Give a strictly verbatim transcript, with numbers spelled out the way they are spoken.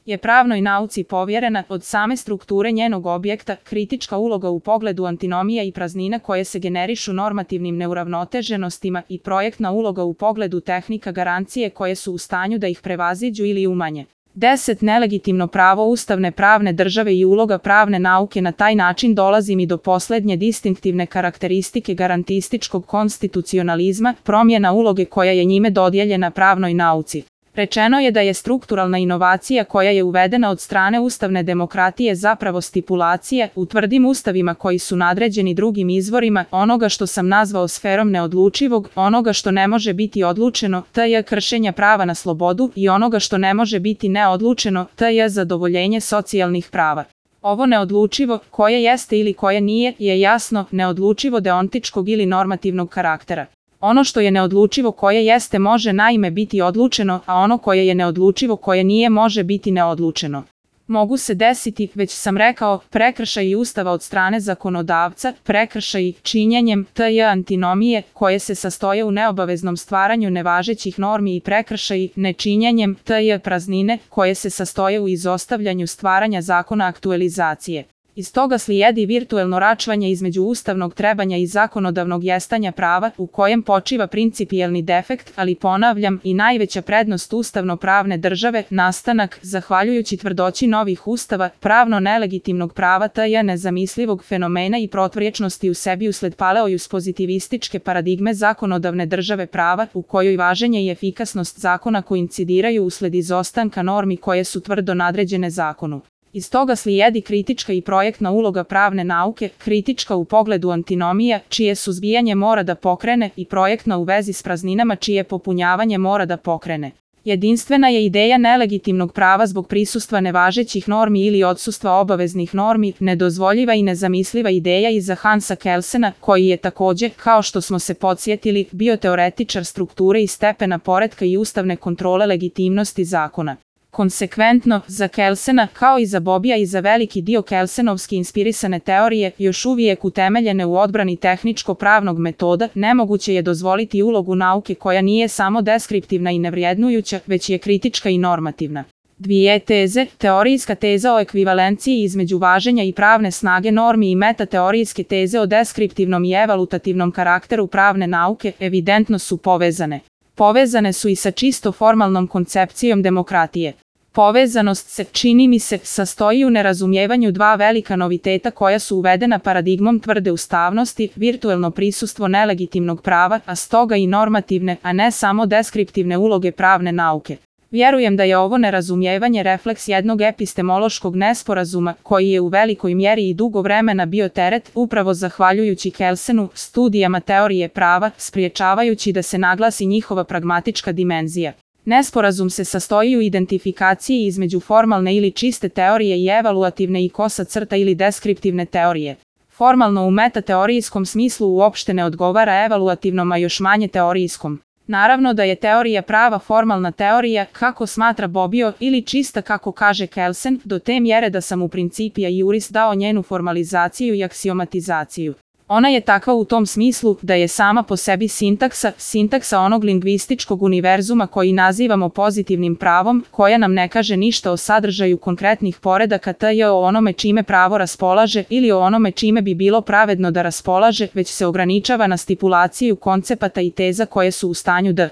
je pravnoj nauci povjerena od same strukture njenog objekta, kritička uloga u pogledu antinomija i praznina koje se generišu normativnim neuravnoteženostima i projektna uloga u pogledu tehnika garancije koje su u stanju da ih prevaziđu ili umanje. deset. Nelegitimno pravo ustavne pravne države i uloga pravne nauke. Na taj način dolazim i do posljednje distinktivne karakteristike garantističkog konstitucionalizma, promjena uloge koja je njime dodijeljena pravnoj nauci. Rečeno je da je strukturalna inovacija koja je uvedena od strane ustavne demokratije zapravo stipulacija u tvrdim ustavima koji su nadređeni drugim izvorima onoga što sam nazvao sferom neodlučivog, onoga što ne može biti odlučeno, tj. kršenja prava na slobodu i onoga što ne može biti neodlučeno, tj. zadovoljenje socijalnih prava. Ovo neodlučivo, koje jeste ili koje nije, je jasno neodlučivo deontičkog ili normativnog karaktera. Ono što je neodlučivo koje jeste može naime biti odlučeno, a ono koje je neodlučivo koje nije može biti neodlučeno. Mogu se desiti, već sam rekao, prekršaji Ustava od strane zakonodavca, prekršaji činjenjem tj. antinomije koje se sastoje u neobaveznom stvaranju nevažećih normi i prekršaji nečinjenjem tj. praznine koje se sastoje u izostavljanju stvaranja zakona aktualizacije. Iz toga slijedi virtuelno račvanje između ustavnog trebanja i zakonodavnog jestanja prava u kojem počiva principijelni defekt, ali ponavljam i najveća prednost ustavno-pravne države, nastanak, zahvaljujući tvrdoći novih ustava, pravno nelegitimnog prava tj. nezamislivog fenomena i proturječnosti u sebi usled paleojus pozitivističke paradigme zakonodavne države prava u kojoj važenje i efikasnost zakona koincidiraju usled izostanka normi koje su tvrdo nadređene zakonu. Iz toga slijedi kritička i projektna uloga pravne nauke, kritička u pogledu antinomija, čije suzbijanje mora da pokrene, i projektna u vezi s prazninama, čije popunjavanje mora da pokrene. Jedinstvena je ideja nelegitimnog prava zbog prisustva nevažećih normi ili odsustva obaveznih normi, nedozvoljiva i nezamisliva ideja iza Hansa Kelsena, koji je također, kao što smo se podsjetili, bio teoretičar strukture i stepena poretka i ustavne kontrole legitimnosti zakona. Konsekventno, za Kelsena, kao i za Bobija i za veliki dio kelsenovski inspirisane teorije, još uvijek utemeljene u odbrani tehničko-pravnog metoda, nemoguće je dozvoliti ulogu nauke koja nije samo deskriptivna i nevrijednujuća, već je kritička i normativna. Dvije teze, teorijska teza o ekvivalenciji između važenja i pravne snage normi i metateorijske teze o deskriptivnom i evalutativnom karakteru pravne nauke, evidentno su povezane. Povezane su i sa čisto formalnom koncepcijom demokratije. Povezanost se, čini mi se, sastoji u nerazumijevanju dva velika noviteta koja su uvedena paradigmom tvrde ustavnosti, virtuelno prisustvo nelegitimnog prava, a stoga i normativne, a ne samo deskriptivne uloge pravne nauke. Vjerujem da je ovo nerazumijevanje refleks jednog epistemološkog nesporazuma, koji je u velikoj mjeri i dugo vremena bio teret, upravo zahvaljujući Kelsenu, studijama teorije prava, spriječavajući da se naglasi njihova pragmatička dimenzija. Nesporazum se sastoji u identifikaciji između formalne ili čiste teorije i evaluativne i kosa crta ili deskriptivne teorije. Formalno u metateorijskom smislu uopšte ne odgovara evaluativnom, a još manje teorijskom. Naravno da je teorija prava formalna teorija, kako smatra Bobbio, ili čista kako kaže Kelsen, do te mjere da sam u Principia Juris dao njenu formalizaciju i aksiomatizaciju. Ona je takva u tom smislu da je sama po sebi sintaksa, sintaksa onog lingvističkog univerzuma koji nazivamo pozitivnim pravom, koja nam ne kaže ništa o sadržaju konkretnih poredaka tj. o onome čime pravo raspolaže ili o onome čime bi bilo pravedno da raspolaže, već se ograničava na stipulaciju koncepata i teza koje su u stanju da